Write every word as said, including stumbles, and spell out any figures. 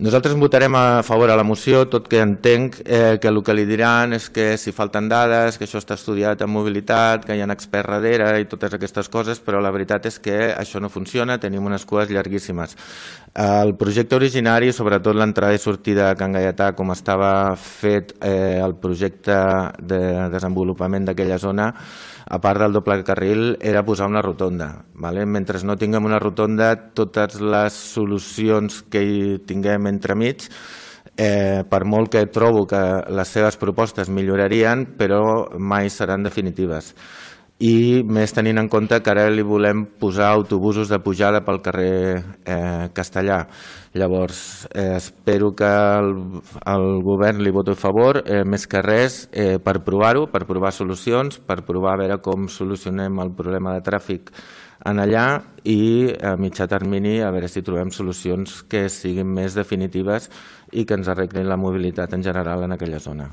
Nosaltres votarem a favor a la moció, tot que entenc eh, que el que li diran és que si falten dades, que això està estudiat en mobilitat, que hi ha experts darrere i totes aquestes coses, però la veritat és que això no funciona, tenim unes cues llarguíssimes. El projecte originari, sobretot l'entrada i sortida a Can Gaietà, com estava fet eh, el projecte de desenvolupament d'aquella zona, a part del doble carril, era posar una rotonda. Vale? Mentre no tinguem una rotonda, totes les solucions que hi tinguem entremig, eh, per molt que trobo que les seves propostes millorarien, però mai seran definitives. I més tenint en compte que ara li volem posar autobusos de pujada pel carrer eh, Castellà. Llavors, eh, espero que el, el govern li voti a favor, eh, més que res, eh, per provar-ho, per provar solucions, per provar a veure com solucionem el problema de tràfic en allà i a mitjà termini a veure si trobem solucions que siguin més definitives i que ens arreglin la mobilitat en general en aquella zona.